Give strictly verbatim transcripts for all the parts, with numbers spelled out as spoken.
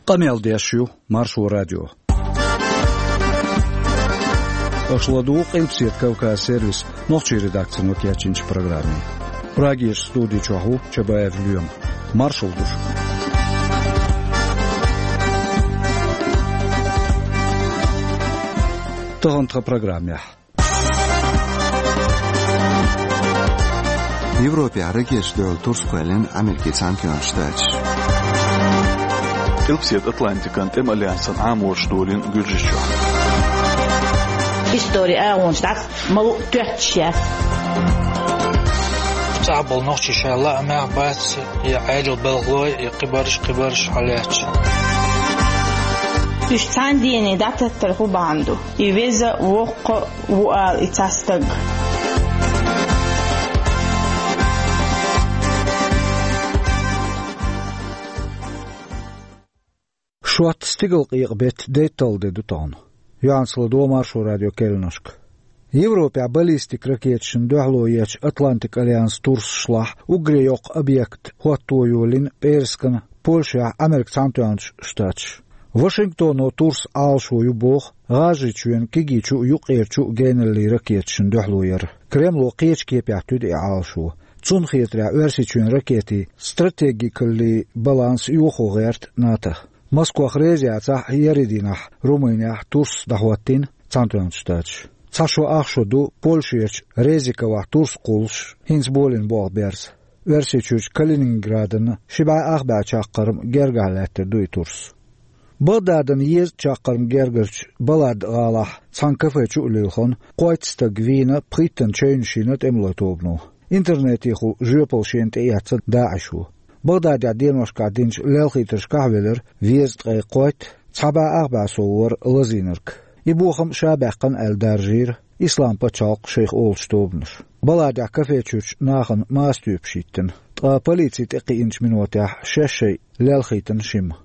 Къамел деш ю Маршо радио. Аша ладугӀу Къилбаседа Кавказ сервисан нохчийн редакцино кечйинчу программе. Прагерчу студи чохь ву Чабаев Лоьма. Маршалла ду шуьга. Тахана тхан программехь. Европехь ракеташ дуьхьал турс кхоьллина Америкин Цхьаьнатоьхначу Штаташа. Къилбаседа Атлантикан тӀеман альянсан Ӏаморш долийна Гуьржийчохь. Истори агӀонаш дӀа ма луъу тоьттуш яц. ЦӀахь болу нохчий шайн лаамехь бац, я Ӏедал балхалой, я кхибарш, кхибарш хьалаьцча. Уьш цхьана дийне дӀататтар хӀун бахьана ду? И веза, воккха а ву ала и цхьа стаг. Шоьтан стигалкъекъа беттан дейтталгӀа де ду тахана. Юьхьанца ладогӀа Маршо радион керланашка. Европехь баллистик ракеташна дуьхьало ечу Атлантик альянсан турсашлахь уггаре йоккха объект хӀотто йолийна пӀераскан Польшехь Америкин Цхьаьнатоьхначу Штаташа. Вашингтоно турсан Ӏалашо ю боху ГӀажарийчоьнан кегийчу а, юккъерачу а геналлин ракеташна дуьхьало яр. Кремло кхечу кепехь туьду и Ӏалашо. Цунна хетарехь, Оьрсийчоьнан ракетийн стратегикаллин баланс йохо гӀерта НАТО-х. Москвах реза яцахь, еарин дийнахь Румынехь турс дӀахӀоттийна Цхьаьнатоьхначу Штаташа. Цхьа шо ах шо ду Польшерчу Резиковехь турс кхуллуш, хӀинца болийна болх берза. Оьрсийчуьрчу Калининградан ши бӀе ах бӀе чаккхарма гергахь лаьттар ду и турс. Багдадан езткъа чаккхарма гергарчу Балад-гӀалахь цхьана кафе чу а лилхина, кхойтта стаг вийна, пхийттана чевнаш йина тӀемалойн тобано. Интернетехула жоьпалла шена тӀеэцна ДАИШо. Багдадехь деношкахь динчу лелхийтаршкахь а велира везткъе кхойтта, цхьа бӀе ах бӀе сов вара лазийнарг. И бохам ша баьккхина аьлла даржийра Исламан пачхьалкх шайх олучу тобанаша. Баладехь кафе чуьрчу нахана маса тоьпаш йиттина, ткъа полици тӀекхиъначу минотехь шаьш шайн лелхийтина шимма.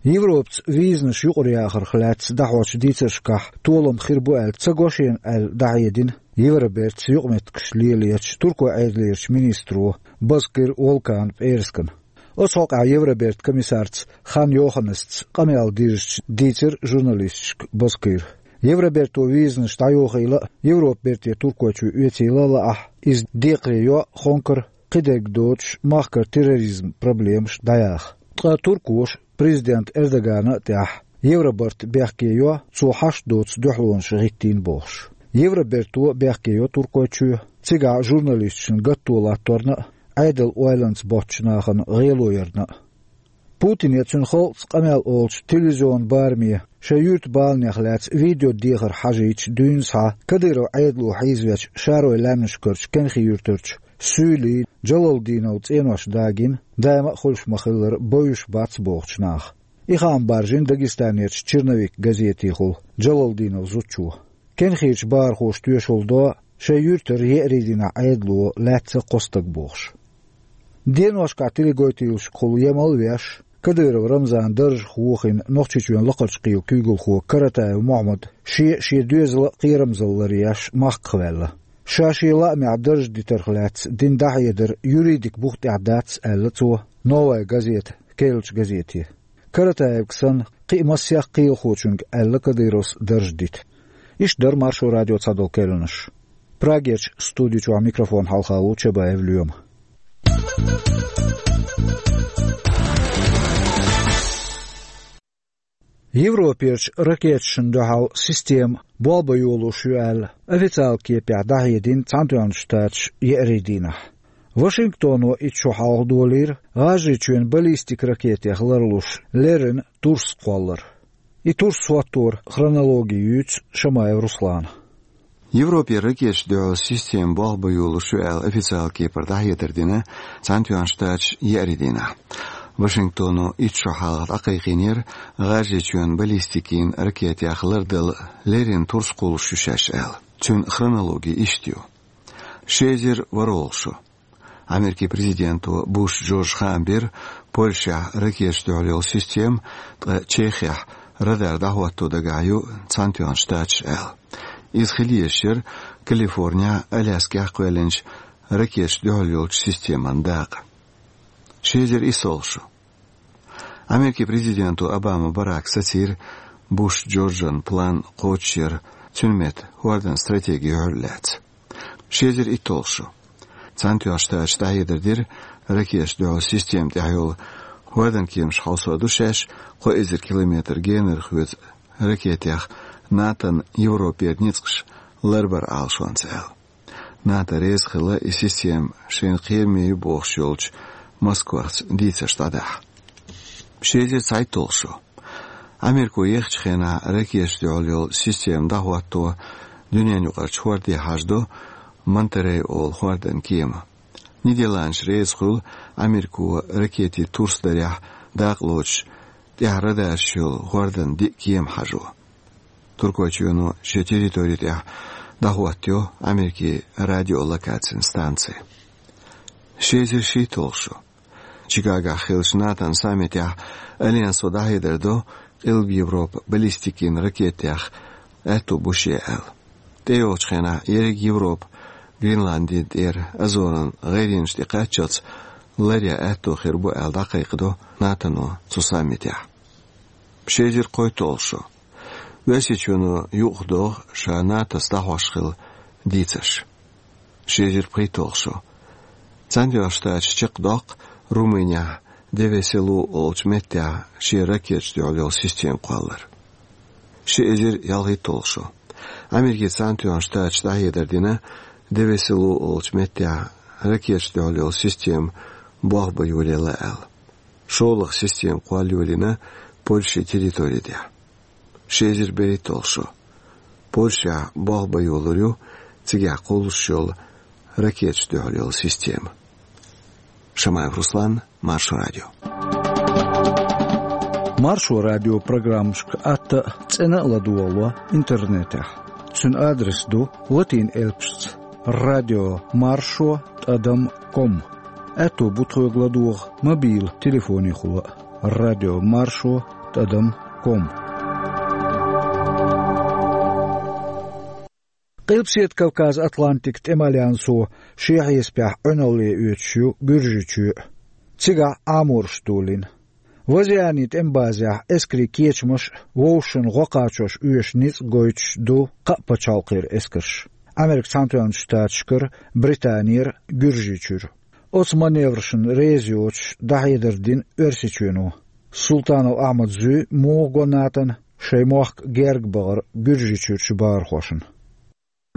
Европаца визанаш юкъараяхарх лаьцна дӀахьочу дийцаршкахь толам хир бу аьлла ца го шена аьлла дӀахьедина Евробертаца юкъаметтигаш лелочу Туркойн Ӏедалерчу министро Бозкыр Волкана пӀераскана. Оцу хьокъехь Евробертан комиссарца Хан Йоханнесца къамел дирзича дийцира журналисташка Бозкыра. Евроберто визанаш дӀайохийла а, Европа берте Туркойчу оьцийла а лаахь, иза декхаре йо а, хонкара кхидерг доцуш махкара терроризман проблемаш дӀаяха. Ткъа туркоша президент Эрдогана а тӀехь Евробарт бехке йо, цо хьашт доцу дуьхьалонаш гӀиттийна бохуш. Евроберто бехке йо Туркойчоь, цигахь журналисташна гатто латторна а, Ӏедалан ойланца боцчу нахана гӀело ярна а. Путине, цуьнан халкъаца къамел олучу телевизионан бараме шайн юьртан баланех лаьцна видео дехар хьажийча дуьйна схьа Кадыров Ӏедало хьийзавечу шаройн лаьмнашкарчу Кенхи-Юьртарчу Суьйли Джалалдиновн цӀенош дагийна, даима а хуьлуш ма-хиллара, бовзуш бац бохучу наха. И хаам баржийна Дагестанерчу «Черновик» газетехула Джалалдинов зудчо. Кенхерчу бахархоша тоьшалла до шайн юьртара еарин дийнахь Ӏедало лаьцна кхо стаг бохуш. Деношкахь теленахана ял а еш, Кадыров Рамзан даржах вохийна Нохчийчоьнан Лакхарчу кхелан куьйгалхо Каратаев Мохьмад шен а, шен доьзалан а кхерамзалла ларъеш махках ваьлла. Ша шен лаамехь дарж дитарх лаьцна дина дӀахьедар юридикан бух тӀехь дац, аьлла цо «Новая газета» керлачу газете. Каратаевга санна, кхин а массех кхелахочуьнга аьлла Кадыровс дарж дита. Иштта дара Маршо радион цхьадолу керланаш. Прагерчу студи чохь микрофон хьалха ву Чабаев Лоьма. Европерчу ракеташна дуьхьал система болх бан йолуш ю аьлла, официалан кепехь дӀахьедина Цхьаьнатоьхначу Штаташа еарин дийнахь. Вашингтоно итт шо хьалха долийра ГӀажарийчоьнан баллистик ракетех ларлуш леррина турс кхоллар. И турс хӀотторан хронологи юьйцу Шамаев Руслана. Европе ракеташна дуьхьал система болх бан йолуш ю аьлла официалан кепара дӀахьедар дина Цхьаьнатоьхначу Штаташа еарин дийнахь. Вашингтоно итт шо хьалха дӀакхайкхийнера ГӀажарийчоьнан баллистикин ракетех лардала леррина турс кхуллуш ю шаьш аьлла. Цуьнан хронологи иштта ю. Ши эзар ворхӀалгӀа шо. Америкин президенто Буш Джорджа хаам бира, Польшехь ракеташна дуьхьал йолу система, ткъа Чехехь радар дӀахӀотто дагахь ю Цхьаьнатоьхна Штаташ аьлла. Иза хила езаш яра Калифорнехь, Аляскехь кхоьллинчу ракеташна дуьхьал йолчу системан дакъа. Ши эзар исс олу шо. Америкин президента Обама Барака сацийра Буш Джорджан план кхочушъяран, цуьнан метта хӀордан стратеги юьхьарлаьцна. Ши эзар итталгӀа шо. Цхьаьнатоьхначу Штаташа дӀахьедар дира, ракеташна дуьхьал система тӀехь йолу хӀордан кеманаш хьовсур ду шаьш, кхо эзар километр генара хьоьцу ракетех НАТОн Европера ницкъаш ларбар Ӏалашонца аьлла. НАТО реза хилла и система шайна кхераме ю бохуш йолчу Москвахца дийцарш дӀадахьа. Ши эзар цхьайтталгӀа шо. Америко ехачу хенахь ракеташна дуьхьал йолу система дӀахӀотто дуьненаюкъарчу хӀорде хьажадо Монтерей олу хӀордан кема. Нидерландаш реза хуьлу Америко ракетийн турс дарехь дакъа лоцуш тӀехь радарш йолу хӀордан диъ кема хьажо. Туркойчоьно шен территори тӀехь дӀахӀоттайо Америкин радиолокацин станци. Ши эзар шийтталгӀа шо. Чикагохь хиллачу НАТОн саммитехь Альянсо дӀахьедар до, Къилба Европа баллистикин ракетех аьтто бу шен аьлла. ТӀейогӀучу хенахь ерриг Европа Гренландин тӀера Азоран гӀайренаш тӀе кхаччалц ларъян аьтто хир бу аьлла дӀакхайкхадо НАТОно цу саммитехь. Ши эзар кхойтталгӀа шо. Оьрсийчоьно юкъахдоху ша НАТОс дӀахьош хилла дийцарш. Ши эзар пхийтталгӀа шо. Цхьаьнатоьхначу Штаташа чекхдоккху Румынехь Девеселу олучу меттехь шен ракеташна дуьхьал йолу система кхоллар. Ши эзар ялхийтталгӀа шо. Америкин Цхьаьнатоьхначу Штаташа дӀахьедар дина Девеселу олучу меттехь ракеташна дуьхьал йолу система болх бан йолаелла аьлла. ШолгӀа система кхолла йолийна Польшин территори тӀехь. Ши эзар берхӀитталгӀа шо. Польшехь болх бан йолур ю цигахь кхуллуш йолу ракеташна дуьхьал йолу система. Шамаев Руслан, Маршо Радио. Маршо Радион программашка атта а, цӀена а ладогӀало интернетехь. Цуьнан адрес ду латин элпашца: радио маршо тӀадам ком. Аьтто бу тхоьга ладогӀа мобил телефонехула а: радио маршо тӀадам ком. Къилбаседа Кавказ-Атлантикан тӀеман альянсо шен хьесапехь Ӏуьналле оьцуш ю Гуьржийчоь а. Цигахь Ӏаморш долийна. Вазианин тӀеман базехь эскарийн кечамаш а, вовшашна гӀо кхачош оьшу ницкъ гойтуш ду кхаа пачхьалкхера эскарш: Америкин Цхьаьнатоьхначу Штаташкара, Британера, Гуьржийчуьра. Оцу маневрашна реза йоцуш дӀахьедар дина Оьрсийчоьно. Султанов Ахьмада зуьй муха го НАТОна шайн мохк герга бахар Гуьржийчуьрчу бахархошна.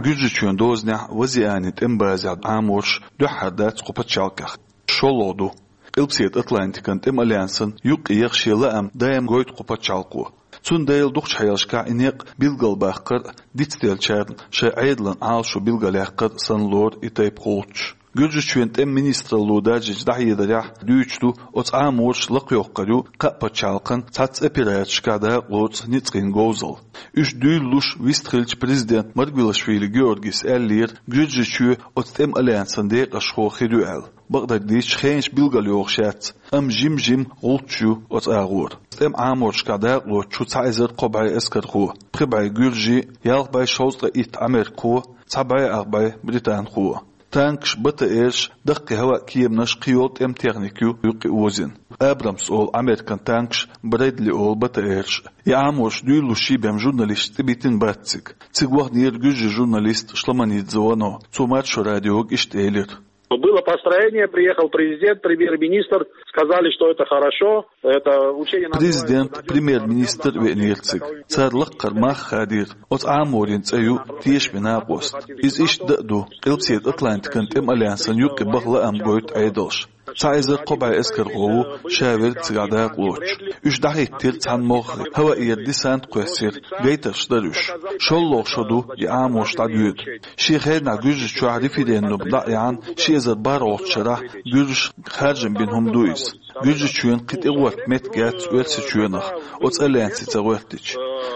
Гуьржийчоьнан дозанехь Вазианин тӀеман базехь Ӏаморш дуьххьара дац кху пачхьалкхехь. ШолгӀа ду. Къилбаседа Атлантикан тӀеман альянсан юккъе яха шен лаам даим гойту кху пачхьалкхо. Цундела дукхачу хьелашкахь и некъ билгалбаккхар а, дицделлачарна шайн Ӏедалан Ӏалашо билгалъяккхар а санна лору и тайпа гӀулчаш. Гуьржийчоьнан тӀеман министралло даржийначу дӀахьедарехь дуьйцуш ду, оцу Ӏаморша лакхайоккхур ю кхаа пачхьалкхана цхьацца операцешкахь дакъа лоцу ницкъийн говзалла. Уьш дуьйлалуш вистхиллачу президента Маргвелашвили Георгийс аьллера, Гуьржийчоь оцу тӀеман альянсан декъашхо хир ю аьлла. Бакъдерг дийцича, хенаш билгалйохуш яц, амма жим-жима гӀулчаш ю оцу агӀор. ТӀеман Ӏаморшкахь дакъа лоцуш ю цхьа эзар кхо бӀе эскархо, пхи бӀе гуьржи, ялх бӀе шовзткъе итт америкахо, цхьа бӀе ах бӀе британхо. Танкаш, БТР-ш, даккхий хӀаваан кеманаш, кхийолу тӀеман техника ю юккъе озийна. Абрамс олу Американ танкаш, Брэдли олу БТР-ш. И Ӏаморш дуьйлалуш шийбен журналисташца тӀебиттина бац цига. Цига ваханера гуьржийн журналист Шломанидзе Вано. Цо Маршо Радиога иштта элира: Было построение, приехал президент, премьер-министр, сказали, что это хорошо, это учение назвали... Президент, премьер-министр веанера цига. Цара лаккхара мах хадийра. Оцу Ӏаморан цӀе ю тешаме накъост. Иза иштта дан а ду, Къилбаседа Атлантикан тӀеман альянсан юккъе баха лаам гойту Ӏедалш. Цхьа эзар кхо бӀе эскархо ву ша верг цигахь дакъа лоцуш. Уьш дӀахӀиттира цхьана могӀаре, хӀаваъера десант кхоьссира, гайтарш дара уьш. ШолгӀа шо ду и Ӏаморш дӀадоьду. Шен хенахь Гуьржийчохь референдум дӀа а яьхьна, ши эзар бархӀалгӀачу шарахь гуьржаша харжам бина хӀума ду иза. Гуьржийчоьнан кхин тӀегӀорта меттиг яц Оьрсийчоьнах, оцу альянсе ца гӀоьртича.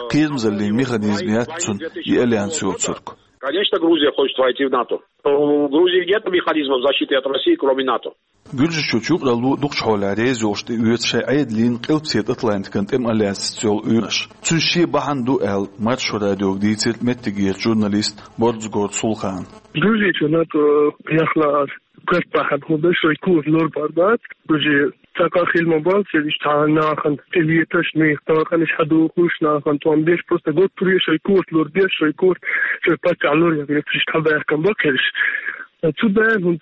Кхерамзаллин механизм яц цуьнан и альянс йоцург. Конечно, Грузия хочет войти в НАТО. У Грузии нет механизмов защиты от России, кроме НАТО. Гуьржийчоьнан юкъаралло дукхачу хьолехь реза йолуш тӀеоьцу шайн Ӏедална Къилбаседа Атлантикан тӀеман альянсаца йолу уьйраш. Цуьнан шен бахьана ду аьлла, Маршо Радиога дийцира меттигерчу журналиста Борзгорт Сулхана. Грузия чу НАТО яхлаар. Кхоьртахь хӀун ду, шайн кура лорбар бац, уже Така хилма бал, цериш цхьа нахана тӀелеташ, нех таханаш хьадохуш, нахана тӀом беш, просто гуттар е шоай корта лур беш, шоай корта, шоай паччахь лур яхаш, цериш цхьа баьхкам бакераш. Цу даьн хӀунда,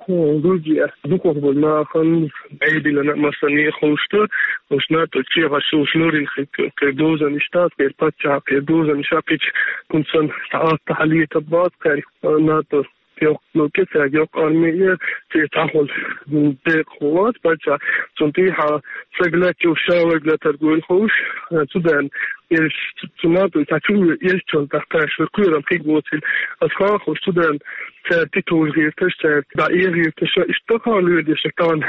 э, Грузия дукхах болу нахана Ӏедална а массане а ховшта, уьш НАТО чехаш уьш лорин хи-, кхе дозанаш тас, кхе паччахь, кхе дозанаш а кхечу, хӀунда сан цхьа атта хьалета бац кхаьрих, э, НАТО йоккха, ну, кицаьрга йоккха арми е, церан цхьа хӀума декъахо вац паччахь, цунна тӀехьа саг лаьттачу ша вайга латар гойла ховш, э, цу даьн, э, цу НАТО цхьа чу, э, эшчал тӀаккха шуьра кхоьрам кхиг воцийла. Ас хахуш цу даьн, цаьрга тӀетовжа гӀерташ, цаьрга дӀаэха гӀерташ, иштта тӀаккха лоьдеш, тахана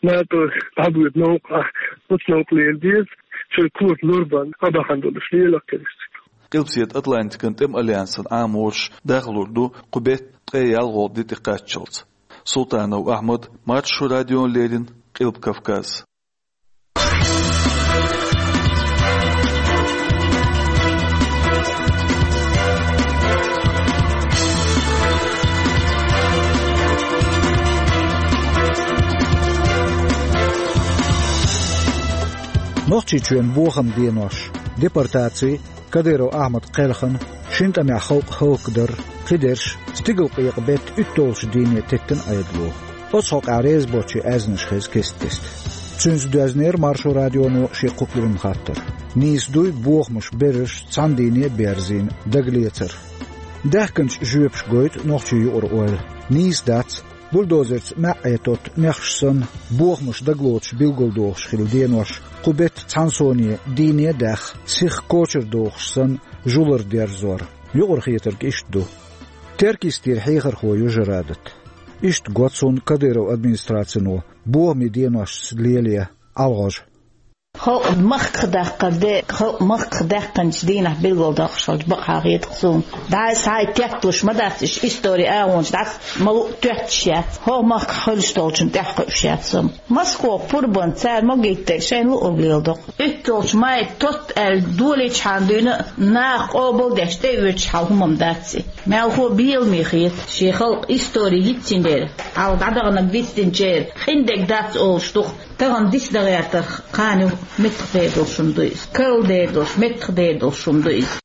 НАТО дӀабоьду новкъа, оцу новкъа лела деза, шоай корта лур бан, а бахьана долуш лелакх керстиг. Къилбаседа Атлантикан тӀеман альянсан Ӏаморш дахлур ду кху беттан ткъе ялхолгӀа де тӀекхаччалц. Султанов Ахьмад, Маршо радиона леррина, Къилба Кавказ. Нохчийчоьнан бохаман денош, депортаци, Кадыров Ахьмадан кхелхина, шина тӀамехь халкъ хӀаллакдар, кхидерш, стигалкъекъа беттан уьтталгӀачу дийне теттина Ӏедало. Оцу хьокъехь реза боцчийн аьзнаш хеза кест-кеста. Цуьнца доьзнера Маршо радионо шен кху куьйранна хаттар. Нийса дуй бохамаш берриш цхьана дийне а берзийна дагалецар. Даьхкинчу жоьпаша гойту нохчийн юкъара ойла. Нийса дац, бульдозерца маьӀӀе тотту нехаш санна, бохамаш дагалоцуш билгалдохуш хилла денош, кху беттан цхьана соне дийне а даьхна, сиха кочара дохуш санна, жулар дерзор. Юкъара хетарг иштта ду. Теркйистера хьехархо ю Жарадат. Иштта го цунна Кадыровн администрацино бохамийн деношца лелае ӀалагӀожа. Халкъ махках даккхар де, халкъ махках даьккхинчу дийнахь билгалдоккхуш хилча бакъахьа хета-кх суна. ДӀа а схьа а тетталуш ма дац, иштта истори агӀонаш дӀа а ма луъу тоьттуш яц. ХӀокху махкахь хуьлуш долчунна тӀаьхьакхуьуш яц амма. Москох пурбанца цара могиттарг шайна луург леладо-кх. УьтталгӀачу майта тотта аьлла долийчхьана дуьйна а, наха къобалдеш тӀеоьцуш хьал хӀума-м дац и. Мелхо а беламе хета, шен халкъан истори йицйинера, хьалха дӀадаханарг дицдинчеран къиндерг дац олуш ду-кх. Тахана диц дан гӀертарх кхана юха меттахдер долуш хӀума ду иза. Карладер долуш, меттахдер долуш хӀума ду иза.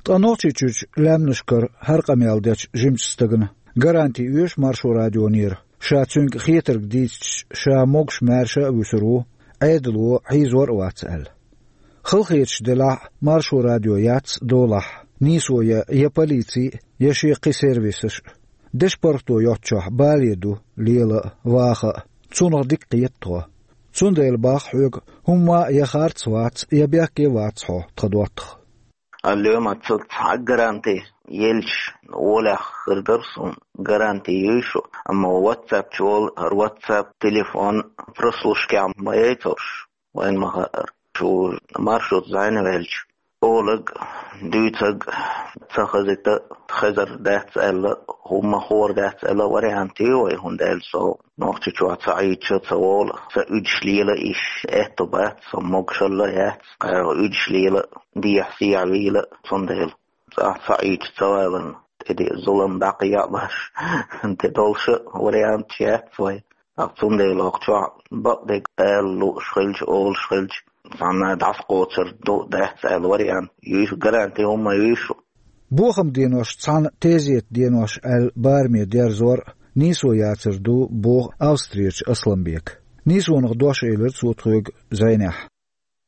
Ткъа Нохчийчуьрчу лаьмнашкара хӀара къамел дечу жимачу стагана гаранти оьшу Маршо радионера, ша цуьнга хетарг дийцича, ша могуш-маьрша а вуьсур ву, Ӏедало хьийзор а вац аьлла. Халахеташ делахь а, Маршо радио яц долахь, нийсо я, я полици, я шен кхин сервисаш а. Дешан паргӀато йоцчохь бале ду, лела а, ваха а. Цунах дика кхета тхо. Цундела боху хьоьга, хӀумма а я харц вац, я бехке вац хьо, тхан доттагӀа. Алло, ма ца цхьа а гаранти елча, олехь хир дара суна гаранти юй шу, амма WhatsApp чу волу, хӀара WhatsApp телефон прослушкехь ма яйцур шу. Вайн ма хаьара, шу Маршоца зӀенвелча, олаг, дуьйцаг, ца хазита, хезар дац аьлла, хӀумма хуур дац аьлла вариант ю вай, хӀунда аьлча со Нохчийчохь ца Ӏийча ца волу, сан уьдуш лела а иш аьтто бац, со могушалла а яц, кхара уьдуш лела а, дехьа-сехьа вийла а, цундела цӀахь ца Ӏийча ца валарна, тӀе де зулам дӀакхайкха а баш, тӀе долуш а варианташ яц вай. ТӀаккха цундела хӀокху чохь бакъдерг ала лууш хилча, олуш хилча, цхьанна дӀасакхочур ду, дац аьлла вариант юй шу, гаранти хӀумма юй шу. Бохаман денош цхьаьна тезетан денош аьлла бараме дерзор а, нийсо яцар ду, боху Австрерчу Асланбека. Нийсонах дош элира цо тхоьга зӀенехь.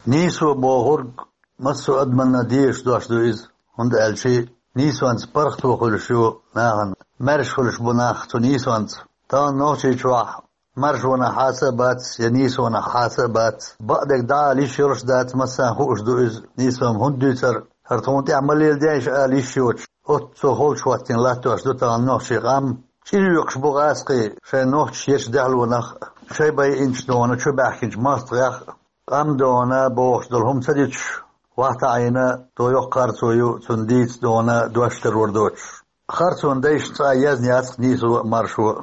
Нийсо бохург массо а адамна дезаш дош ду иза, хӀунда аьлча нийсонца паргӀато хуьлуш ю нахана, маьрша хуьлуш бу нах цу нийсонца. Тахана Нохчийчохь маршонах хьаца а бац, я нийсонах хьаца а бац. Бакъдерг дӀаала йиш йолуш дац, массарна хууш ду иза, нийсо-м хӀунда дуьйцура, хӀара тхуна тӀехь ма леладе аша ала йиш йоцуш, оццо холчу хӀоттийна латтош ду тахана нохчийн къам. ЧӀир йоькхуш бу гӀазкхий шайн нохчаша ечу даьхлонах, шайн байинчу дона, чубаьхкинчу мостагӀех а. Къам дона бохуш долу хӀума ца дитуш, вахта Ӏийна, тхо йоккха харцо ю, цунна дийца дона дош таро доцуш. Харцонан дайшна цкъа а язна яц-кх нийсо а, маршо а.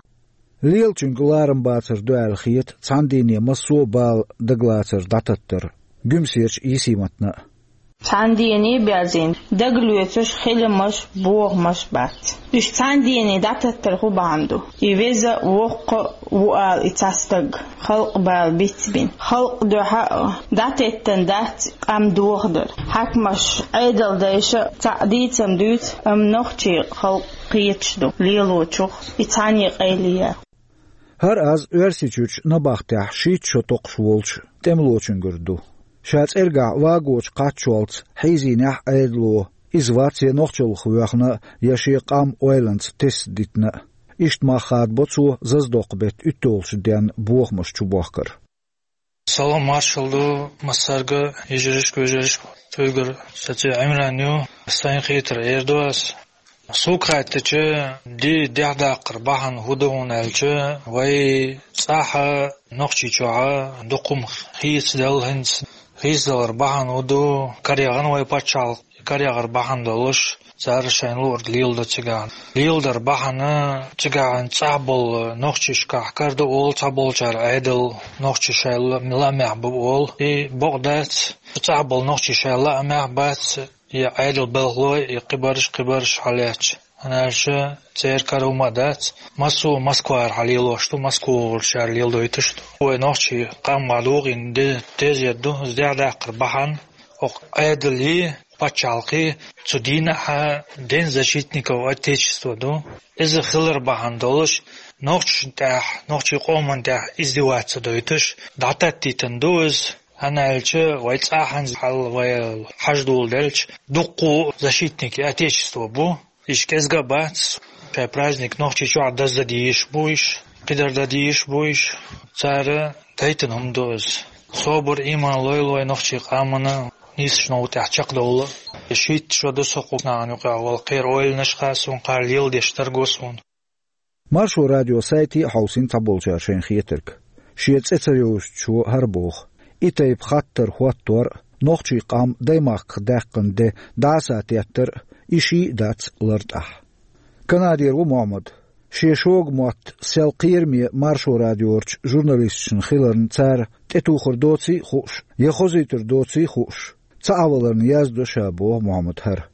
Лелачуьнга ларам бацар ду аьлла хета цхьана дийне массо а бала дагалацар дӀататтар Гуьмсерчу Йисиматна а. Цхьана дене а баьзина, дагалоьцуш хиламаш, бохамаш бац. Уьш цхьана дене дӀатеттар хӀун бахьана ду? И веза, воккха а ву ала и цхьа стаг, халкъ бала бицбина. Халкъ дуьхьа а дӀатеттан дац къам дохадар. Хьаькамаш, Ӏедал дайша а цхьаъ дийцам дуьйцу, амма нохчий халкъ кхеташ ду лелочух и цхьаьна къайле яр. ХӀара аз Оьрсийчуьрчу набахтехь шийтта шо токхуш волчу тӀемалочуьнгара ду. Ша цӀергахь вагочу кхаччалц хьийзийнехь Ӏедало, иза вац я нохчаллах воьхна, я шен къам ойланца тесна дитина а. Иштта мах хадабо цо Заздоккху-беттан уьтталгӀачу денна бохамаш чубохкар. Салам маршалла ду массаьрга, йижаршка, вежаршка. Цуьнгара саций Ӏимран ю, сайн хетар эр ду ас. Сук хаттача, ди дехьадаккхар бахьана хӀун ду хьуна аьлча, вай цӀахь а, Нохчийчохь а дукха хӀума хийцаделла хӀинца. Хийцадалар бахьана хӀун ду, караягӀна вай пачхьалкх, караягӀар бахьана долуш, цара шайна луург леладо цигахь. Леладар бахьана цигахь цӀахь болу нохчашкахь карадо олу цхьаболчара Ӏедал, нохчий шайла лаамехь бу олу. И бакъ дац, цӀахь болу нохчий шайла лаамехь бац, и Ӏедал белхало, и кхибарш, кхибарш хьалаьцча. ХӀунда аьлча церан кара хӀума а дац. Массо а Москвара хьалелош ду, Москва волчара леладойтуш ду. Вай нохчий къам ма догӀийна де-, тезет ду, иза дехьадаккхар бахьана, оха Ӏедале, пачхьалкхе, цу дийнахь а День защитников Отечества ду. Иза хилар бахьана долуш, нохчашна тӀехь, нохчий къоман тӀехь издеваться дойтуш, дӀататтийтина ду иза. ХӀунда аьлча вай цӀахь хьанза хьал вай хьаждола делча, дуккха а защитники Отечества бу. Иштта кӀезга а бац, шайн праздник Нохчийчохь даздан дийш бу уьш, кхидӀа дан дийш бу уьш. Цара дайтина хӀума ду иза. Собар, иман лойла вай нохчий къамана, нийсачу новкъа тӀехь чекхдовла. Шийтта шо ду со кху нахана юкъахь вала, кхеран ойланаш хаьа суна, кхара леладеш дерг го суна. Маршо радион сайте а хьовсийна цхьаболчара шайн хетарг. Шен цӀе ца йовзучо хӀара боху: и тайпа хаттар хӀоттор а, нохчий къам даймахках даьккхина де дӀасатеттар а, и ший а дац лартӀахь. Канадера ву Мохьмад. Шен шога мотт сел кхераме Маршо радиорчу журналисташна хиларна цара тӀетухур доций а хууш, я хозуьйтур доций а хууш, ца Ӏаваларна яздо ша, боху Мохьмад хӀара.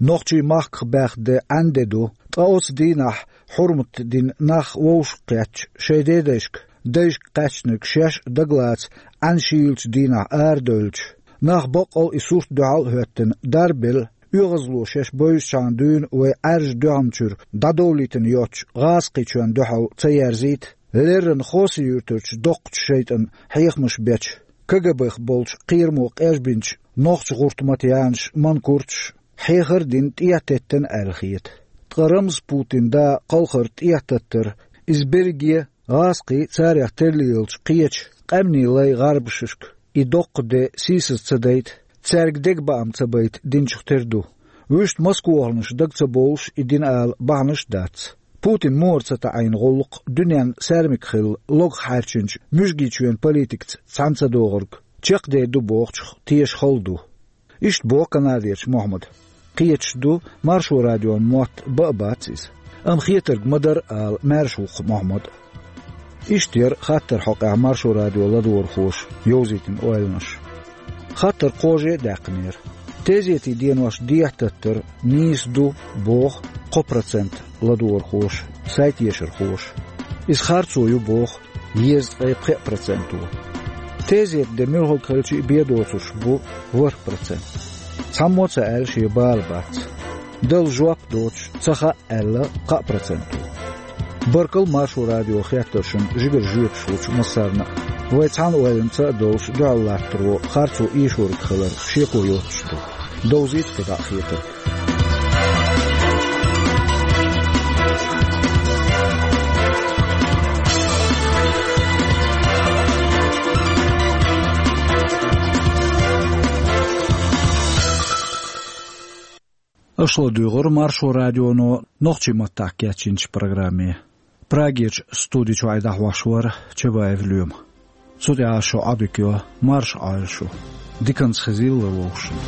Нохчий махках баьхна де Ӏаьнде ду, ткъа оцу дийнахь хьурмат дина нах вовшах кхетча, шайн дедайшка, дайшка кхаьчнарг шаьш а дагалаца Ӏаьнан шийлачу дийнахь арадевлча, нах баккъал а и сурт дуьхьал а хӀоьттина дарбелла, оьгӀазло шаьш бевзачхьана дуьйна вай Ӏаьржа дуьхьамчуьра дӀадовлийтина йоцчу гӀазкхичоьнна дуьхьал ца ерзийта, леррина Хоси-Юьртарчу доккхачу шайтӀан хьехамаш бечу, КГБ-х болчу кхерамо къежбинчу нохча гӀуртмат Янаш Манкурташ хьехар а дина тӀе а теттина аьлла хета. Ткъа Рамзан Путин да кхалхар тӀе а таттар, иза берриге гӀазкхий, царех терлаелча кхечу къаьмнийн лай гӀарбашашка и доккха де сийсаз ца дайта, цаьрга дегабаам ца байта динчух тера ду. Вуьшта москвахарнаш дага ца бовлуш и дина ала бахьанаш а дац. Путин мора ца таӀийна гӀуллакх дуьненна саьрмик хилла логах хьаьрчинчу муьжгийчоьнан политикаца цхьаьна ца догӀург чекхдер ду бохучух теша хала ду. Иштта боху Канадерчу Мохьмада. Кхеташ ду, Маршо радион мотт бан а бац иза. Амма хетарг ма-дарра ала маьрша ву-кх Мохьмад а. Иштта яра хаттар хьокъехь Маршо радион ладогӀархоша йовзийтина ойланаш. Хаттар кхаже а даьккхинера. Тезетийн денош дехьататтар нийса ду, боху кхо процент ладогӀархоша, сайтешархоша. Иза харцо ю, боху дезткъе пхеа проценто. Тезет де муьлхарг хилча а бен доцурш бу ворхӀ процент. Цхьаммо а ца аьлла шен бала бац. Дала жоп доцуш ца хаьа аьлла кхаа проценто. Баркалла Маршо радион хеттаршна жигара жоьпаш лучу массарна а. Вай цхьана ойланца а долуш дуьхьал латтаро харцо эшориг хилар шеко йоцуш ду. Довзийта кхидӀа а хетарг. Аша ладуьйгӀира Маршо радионо нохчийн маттахь кечйинчу программе. Прагерчу студи чуьра дӀахьош вара Чабаев Лоьма. Цу тӀехь шун Ӏодика йо, марша Ӏойла шу. Диканца хезийла вовшашна.